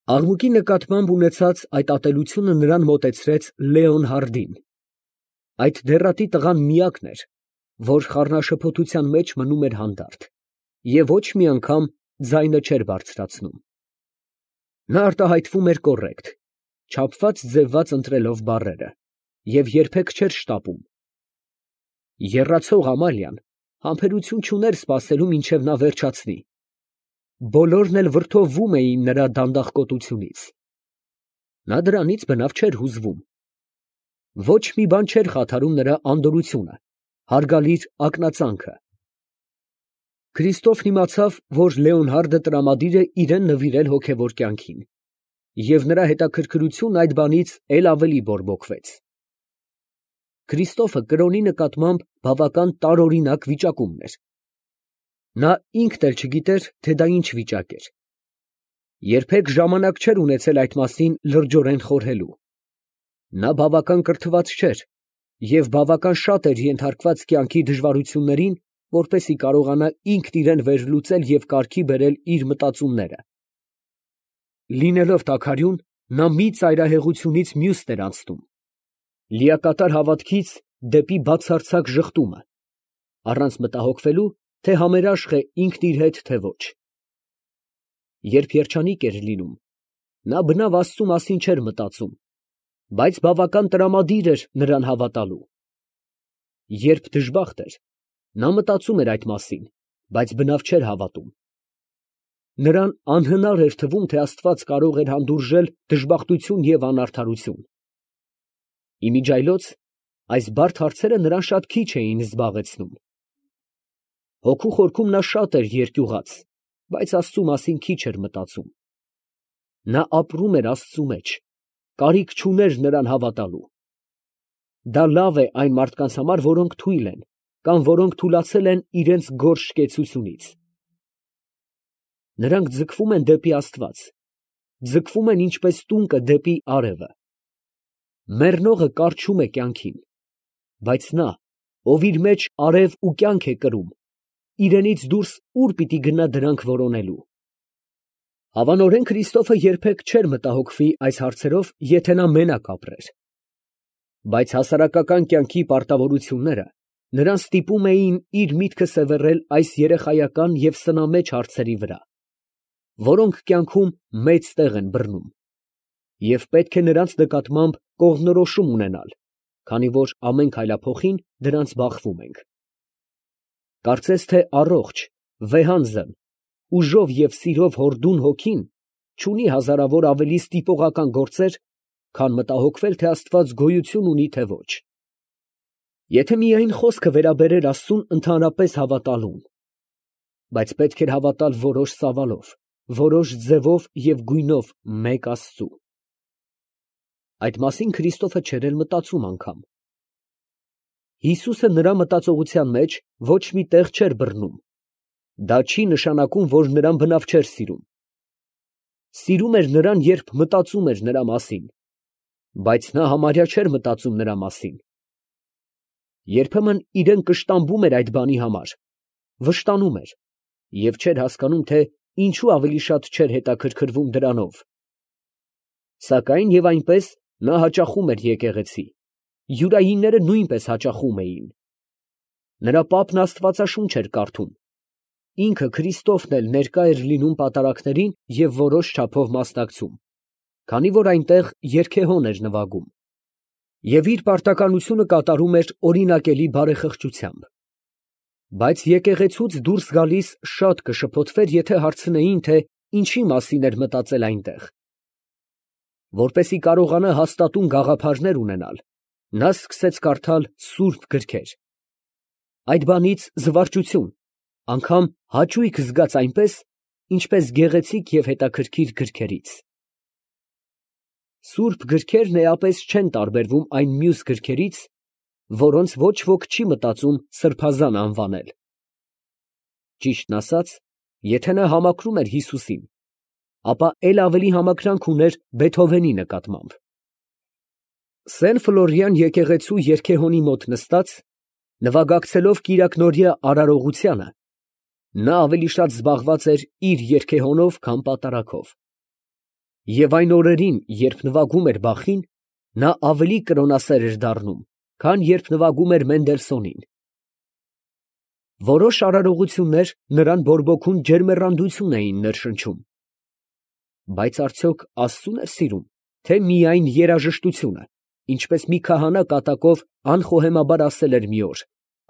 Աղմուկի նկատմամբ ունեցած այդ ատելությունը նրան մոտեցրեց Լեոնհարդին. այդ դեռատի տղան միակն էր, որ խառնաշփոթության մեջ մնում էր հանդարտ և ոչ մի անգամ ձայնը չէր բարձրացնում. նա արտահայտվում էր կոռեկտ, չափված ձևված ընտրելով բառերը, և երբեք չէր շտապում. եռացող Ամալիան համբերություն չուներ սպասելու մինչև նա վերջացնի. բոլորն էլ վրդովվում էին նրա դանդաղկոտությունից. նա դրանից բնավ չէր հուզվում. ոչ մի բան չէր խաթարում նրա անդորրությունը, հարգալիր ակնածանքը. Քրիստոֆն իմացավ, որ Լեոնհարդը տրամադիր է իրան նվիրել հոգևոր կյանքին, և նրա հետաքրքրությունն այդ բանից էլ ավելի բորբոքվեց. Քրիստոֆը կրոնի նկատմամբ բավական տարօրինակ վիճակումն էր. նա ինքն էլ չգիտեր, թե դա ինչ վիճակ էր. երբեք ժամանակ չէր ունեցել այդ մասին լրջորեն խորհելու. նա բավական կրթված չէր և բավական շատ էր ենթարկված կյանքի դժվարություններին, որպեսզի կարողանա ինքն իրան վերլուծել և կարգի բերել իր մտածումները. լինելով տաքարյուն, նա մի ծայրահեղությունից մյուսն էր անցնում. լիակատար հավատքից դեպի բացարձակ ժխտումը, առանց մտահոգվելու, թե համերաշխ է ինքն իր հետ, թե ոչ. երբ երջանիկ էր լինում, նա բնավ Աստծու մասին չէր մտածում, բայց բավական տրամադիր էր նրան հավատալու. երբ դժբախտ էր, նա մտածում էր այդ մասին, բայց բնավ չէր հավատում. նրան անհնար էր թվում, թե Աստված կարող էր հանդուրժել դժբախտություն և անարդարություն. իմիջիայլոց այս բարդ հարցերը նրան շատ քիչ էին զբաղեցնում. հոգու խորքում նա շատ էր երկյուղած, բայց Աստծու մասին քիչ էր մտածում. նա ապրում էր Աստծու մեջ, կարիք չուներ նրան հավատալու. դա լավ է այն մարդկանց համար, որոնք թույլ են, կամ որոնք թուլացել են իրանց գորշ կեցությունից. նրանք ձգվում են դեպի Աստված, ձգվում են ինչպես տունկը դեպի արևը. մեռնողը կառչում է կյանքին, բայց նա, ով իր մեջ արև ու կյանք է կրում, իրենից դուրս ուր պիտի գնա դրանք որոնելու։ Հավանորեն Քրիստոֆը երբեք չէր մտահոգվի այս հարցերով, եթե նա մենակ ապրեր. բայց հասարակական կյանքի պարտավորությունները նրան ստիպում էին իր միտքը սևեռել այս երեխայական և սնամեջ հարցերի վրա, որոնք կյանքում մեծ տեղ են բռնում, և պետք է նրանց նկատմամբ կողմնորոշում ունենալ, քանի որ ամեն քայլափոխին դրանց բախվում ենք. կարծես թե առողջ, վեհանձն, ուժով և սիրով հորդուն հոգին չունի հազարավոր ավելի ստիպողական գործեր, քան մտահոգվել, թե Աստված գոյություն ունի, թե ոչ. եթե միայն խոսքը վերաբերեր Աստծուն ընդհանրապես հավատալուն, բայց պետք էր հավատալ որոշ ծավալով, որոշ ձևով և գույնով մեկ Աստծու. այդ մասին Քրիստոֆը չէր էլ մտածում անգամ. Հիսուսը նրա մտածողության մեջ ոչ մի տեղ չէր բռնում. դա չի նշանակում, որ նրան բնավ չէր սիրում. սիրում էր նրան, երբ մտածում էր նրա մասին, բայց նա համարյա չէր մտածում նրա մասին. երբեմն իրան կշտամբում էր այդ բանի համար, վշտանում էր և չէր հասկանում, թե ինչու ավելի շատ չէր հետաքրքրվում դրանով. սակայն և այնպես նա հաճախում էր եկեղեցի, յուրայինները նույնպես հաճախում էին. նրա պապն Աստվածաշունչ էր կարդում, ինքը Քրիստոֆն էլ ներկա էր լինում պատարակներին և որոշ չափով մասնակցում, քանի որ այնտեղ երգեհոն էր նվագում, և իր պարտականությունը կատարում էր օրինակելի բարեխղճությամբ. բայց եկեղեցուց դուրս գալիս շատ կշփոթվեր, եթե հարցնեին, թե ինչի մասին էր մտածել այնտեղ. որպեսզի կարողանա հաստատուն գաղափարներ ունենալ, նա սկսեց կարդալ սուրբ գրքեր. այդ բանից զվարճություն, անգամ հաճույք զգաց այնպես, ինչպես գեղեցիկ և հետաքրքիր գրքերից. սուրբ գրքերն էապես չեն տարբերվում այն մյուս գրքերից, որոնց ոչ ոք չի մտածում սրբազան անվանել. ճիշտն ասած, եթե նա համակրում էր Հիսուսին, ապա էլ ավելի համակրանք ուներ Բեթհովենի նկատմամբ. Սեն֊Ֆլորիան եկեղեցու երգեհոնի մոտ նստած, նվագակցելով կիրակնօրյա արարողությանը, նա ավելի շատ զբաղված էր իր երգեհոնով, քան պատարակով. Եվ այն օրերին, երբ նվագում էր Բախին, նա ավելի կրոնասեր էր դառնում, քան երբ նվագում էր Մենդելսոնին։ Որոշ արարողություններ նրան բորբոքուն ջերմեռանդություն էին ներշնչում։ Բայց արդյոք Աստծո՞ւն էր սիրում, թե միայն երաժշտությունը, ինչպես մի քահանա կատակով անխոհեմաբար ասել էր մի օր,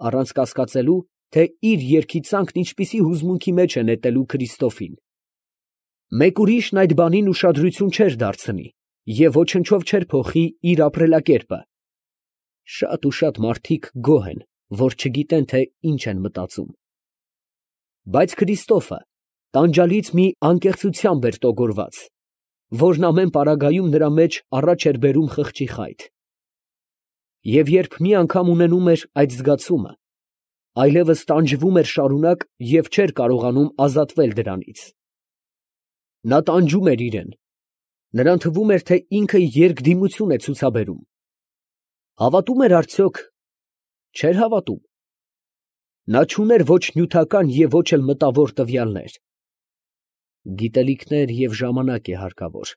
առանց կասկածելու, թե իր երգի ծանքն ինչպիսի հուզմունքի մեջ է նետելու Քրիստոֆին։ Մեկ ուրիշն այդ բանին ուշադրություն չէր դարձնի և ոչնչով չէր փոխի իր ապրելակերպը։ Շատ ու շատ մարդիկ գոհ են, որ չգիտեն, թե ինչ են մտածում։ Բայց Քրիստոֆը տանջալից մի անկեղծությամբ էր տոգորված, որն ամեն պարագայում նրա մեջ առաջ էր բերում խղճի խայթ։ Եվ երբ մի անգամ ունենում էր այդ զգացումը, այլևս տանջվում էր շարունակ և չէր կարողանում ազատվել դրանից։ Նա տանջում էր իրեն, նրան թվում էր, թե ինքը երկդիմություն է ցուցաբերում։ Հավատում էր արդյոք։ Չէր հավատում։ Նա չուներ ոչ նյութական և ոչ էլ մտավոր տվյալներ։ Գիտելիքներ և ժամանակ է հարկավոր,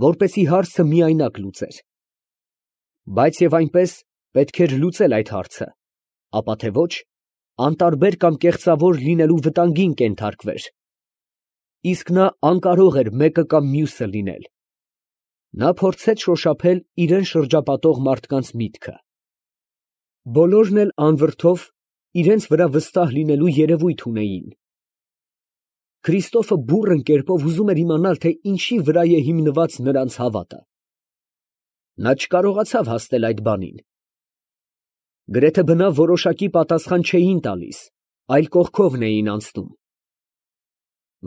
որպեսզի հարցը միայնակ լուծեր։ Բայց և այնպես պետք էր լուծել այդ հարցը, ապա թե ոչ, անտարբեր կամ կեղծավոր լինելու վտանգին կենթարկվեր։ Իսկ նա անկարող էր մեկը կամ մյուսը լինել։ Նա փորձեց շոշափել իրան շրջապատող մարդկանց միտքը։ Բոլորն էլ անվրդով իրենց վրա վստահ լինելու երևույթ ունեին։ Քրիստոֆը բուռն կերպով ուզում էր իմանալ, թե ինչի վրա է հիմնված նրանց հավատը։ Նա չկարողացավ հասնել այդ բանին։ Գրեթե բնավ որոշակի պատասխան չէին տալիս, այլ կողքովն էին անցնում։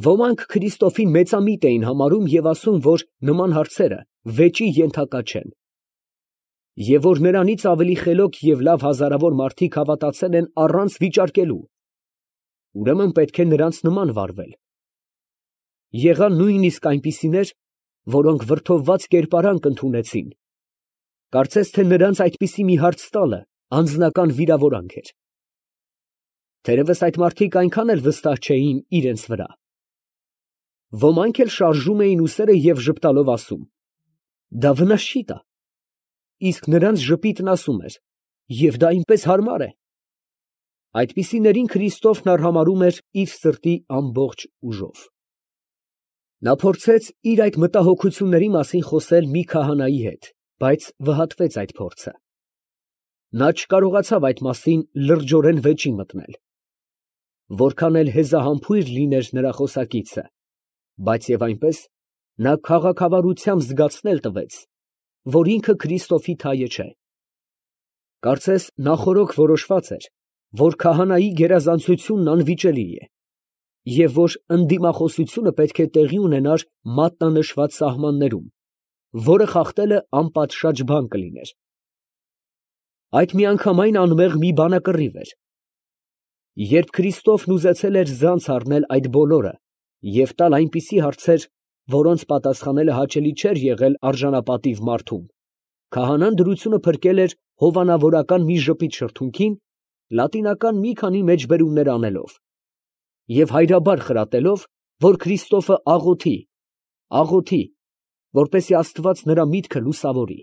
Ոմանք Քրիստոֆին մեծամիտ էին համարում և ասում, որ նման հարցերը վեճի ենթակա չեն, և որ նրանից ավելի խելոք և լավ հազարավոր մարդիկ հավատացել են առանց վիճարկելու, ուրեմն պետք է նրանց նման վարվել։ Եղան նույնիսկ այնպիսիներ, որոնք վրդովված կերպարանք ընդունեցին, կարծես թե նրանց այդպիսի մի հարց տալը անձնական վիրավորանք էր։ Թերևս այդ մարդիկ այնքան էլ վստահ չէին իրենց վրա։ Ոմանք էլ շարժում էին ուսերը և ժպտալով ասում. «Դա վնաս չի տա»։ Իսկ նրանց ժպիտն ասում էր. «Եվ դա այնպես հարմար է»։ Այդպիսիներին Քրիստոֆն արհամարհում էր իր սրտի ամբողջ ուժով։ Նա փորձեց իր այդ մտահոգությունների մասին խոսել մի քահանայի հետ, բայց վհատվեց այդ փորձը։ Նա չկարողացավ այդ մասին լրջորեն վեճի մտնել։ Որքան էլ հեզահամբույր լիներ նրա խոսակիցը, բայց և այնպես նա քաղաքավարությամբ զգացնել տվեց, որ ինքը Քրիստոֆի թայը չէ։ Կարծես նախօրոք որոշված էր, որ քահանայի գերազանցությունն անվիճելի է, և որ ընդդիմախոսությունը պետք է տեղի ունենար մատնանշված սահմաններում, որը խախտելը անպատշաճ բան կլիներ։ Այդ միանգամայն անմեղ մի բանակռիվ էր։ Երբ Քրիստոֆն ուզեցել էր ձանց առնել այդ բոլորը և տալ այնպիսի հարցեր, որոնց պատասխանելը հաճելի չէր եղել արժանապատիվ մարդուն, քահանան դրությունը փրկել էր հովանավորական մի ժպիտ շրթունքին, լատինական մի քանի մեջբերումներ անելով և հայրաբար խրատելով, որ Քրիստոֆը աղոթի, որպեսզի Աստված նրա միտքը լուսավորի։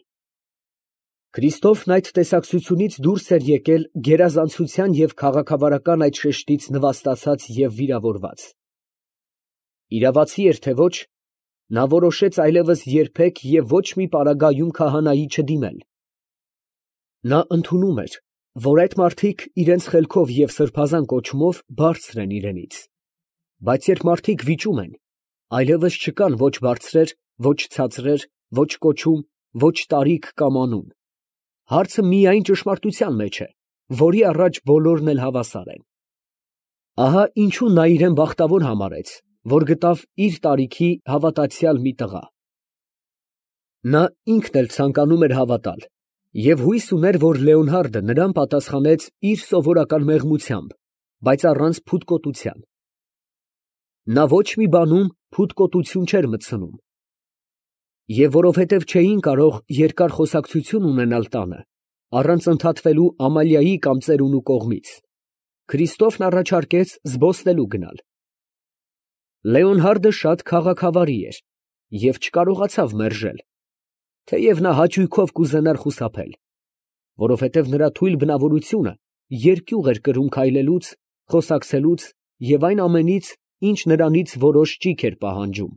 Քրիստոֆն այդ տեսակցությունից դուրս էր եկել գերազանցության և քաղաքավարական այդ շեշտից նվաստացած և վիրավորված։ Իրավացի էր թե ոչ, նա որոշեց այլևս երբեք և ոչ մի պարագայում քահանայի չդիմել։ Նա ընդունում էր, որ այդ մարդիկ իրենց խելքով և սրբազան կոչումով բարձր են իրենից, բայց երբ մարդիկ վիճում են, այլևս չկան ոչ բարձրեր, ոչ ցածրեր, ոչ կոչում, ոչ տարիք կամ անուն։ Հարցը միայն ճշմարտության մեջ է, որի առաջ բոլորն էլ հավասար են։ Ահա ինչու նա իրեն բախտավոր համարեց, որ գտավ իր տարիքի հավատացյալ մի տղա։ Նա ինքն էլ ցանկանում էր հավատալ և հույս ուներ, որ Լեոնհարդը նրան պատասխանեց իր սովորական մեղմությամբ, բայց առանց փութկոտության։ Նա ոչ մի բանում փութկոտություն չէր մտցնում։ Եվ որովհետև չէին կարող երկար խոսակցություն ունենալ տանը, առանց ընդհատվելու Ամալիայի կամ ծերունու կողմից, Քրիստոֆն առաջարկեց զբոսնելու գնալ։ Լեոնհարդը շատ քաղաքավարի էր և չկարողացավ մերժել, թեև նա հաճույքով կուզենար խուսափել, որովհետև նրա թույլ բնավորությունը երկյուղ էր կրում քայլելուց, խոսակցելուց և այն ամենից, ինչ նրանից որոշ ճիգ էր պահանջում։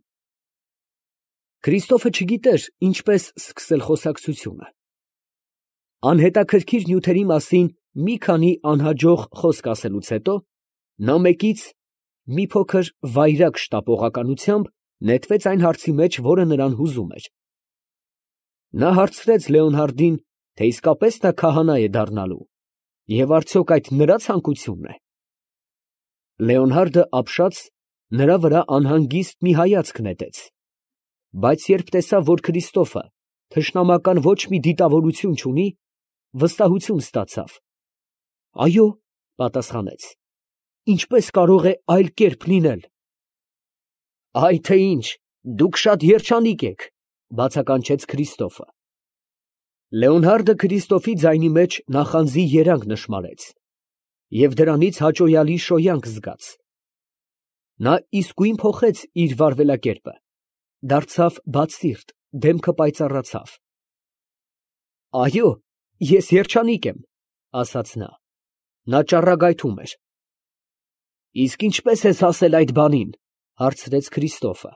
Քրիստոֆը չգիտեր ինչպես սկսել խոսակցությունը։ Անհետաքրքիր նյութերի մասին մի քանի անհաջող խոսք ասելուց հետո, նա մեկից մի փոքր վայրագ շտապողականությամբ նետվեց այն հարցի մեջ, որը նրան հուզում էր։ Նա հարցրեց Լեոնհարդին, թե իսկապես նա քահանա է դառնալու, և արդյոք այդ նրա ցանկությունն է։ Լեոնհարդը ապշած նրա վրա անհանգիստ մի հայացք նետեց, բայց երբ տեսավ, որ Քրիստոֆը թշնամական ոչ մի դիտավորություն չունի, վստահություն ստացավ։ «Այո», պատասխանեց, «ինչպես կարող է այլ կերպ լինել»։ «Այ թե ինչ, դուք շատ երջանիկ եք», բացականչեց Քրիստոֆը։ Լեոնհարդը Քրիստոֆի ձայնի մեջ նախանձի երանգ նշմարեց և դրանից հաճոյալի շոյանք զգաց։ Նա իսկույն փոխեց իր վարվելակերպը, դարձավ բացսիրտ, դեմքը պայծառացավ։ «Այո, ես երջանիկ եմ», ասաց նա։ Նա ճառագայթում էր։ «Իսկ ինչպե՞ս ես հասել այդ բանին», հարցրեց Քրիստոֆը։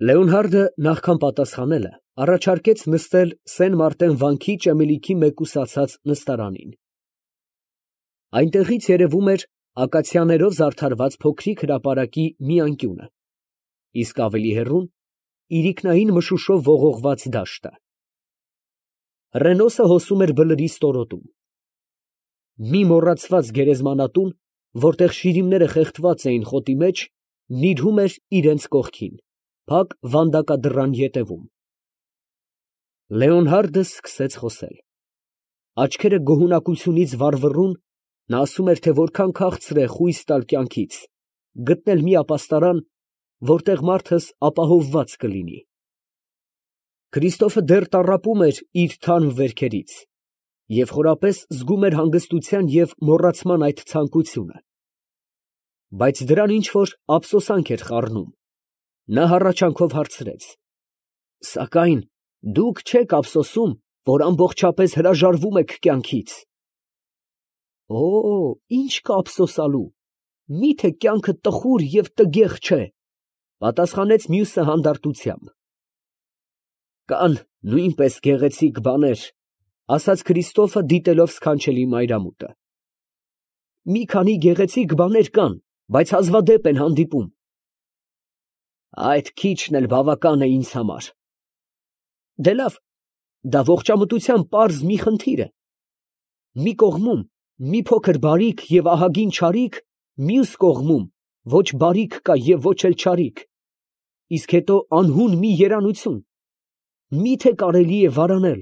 Լեոնհարդը նախքան պատասխանելը առաջարկեց նստել Սեն Մարտեն վանքի ճեմելիքի մեկուսացած նստարանին։ Այնտեղից երևում էր ակացիաներով զարդարված փոքրիկ հրապարակի մի անկյունը, իսկ ավելի հեռուն իրիկնային մշուշով ողողված դաշտը։ Հռենոսը հոսում էր բլրի ստորոտում։ Մի մոռացված գերեզմանատուն, որտեղ շիրիմները խեղդված էին խոտի մեջ, նիրհում էր իրենց կողքին, փակ վանդակադռան ետևում։ Լեոնհարդը սկսեց խոսել։ Աչքերը գոհունակությունից վառվռուն, նա ասում էր, թե որքան քաղցր է խույս տալ կյանքից, գտնել մի ապաստարան, որտեղ մարդս ապահովված կլինի։ Քրիստոֆը դեռ տառապում էր իր թարմ վերքերից և խորապես զգում էր հանգստության և մոռացման այդ ցանկությունը, բայց դրան ինչ֊որ ափսոսանք էր խառնում։ Նա հառաչանքով հարցրեց. «Սակայն դուք չե՞ք ափսոսում, որ ամբողջապես հրաժարվում եք կյանքից»։ «Օ, ի՞նչ կա ափսոսալու, մի՞թե կյանքը տխուր և տգեղ չէ», պատասխանեց մյուսը հանդարտությամբ։ «Կան նույնպես գեղեցիկ բաներ», ասաց Քրիստոֆը, դիտելով սքանչելի մայրամուտը։ «Մի քանի գեղեցիկ բաներ կան, բայց հազվադեպ են հանդիպում»։ «Այդ քիչն էլ բավական է ինձ համար»։ «Դե լավ, դա ողջամտության պարզ մի խնդիր է։ Մի կողմում մի փոքր բարիք և ահագին չարիք, մյուս կողմում ոչ բարիք կա և ոչ էլ չարիք, իսկ հետո անհուն մի երանություն. մի՞թե կարելի է վարանել»։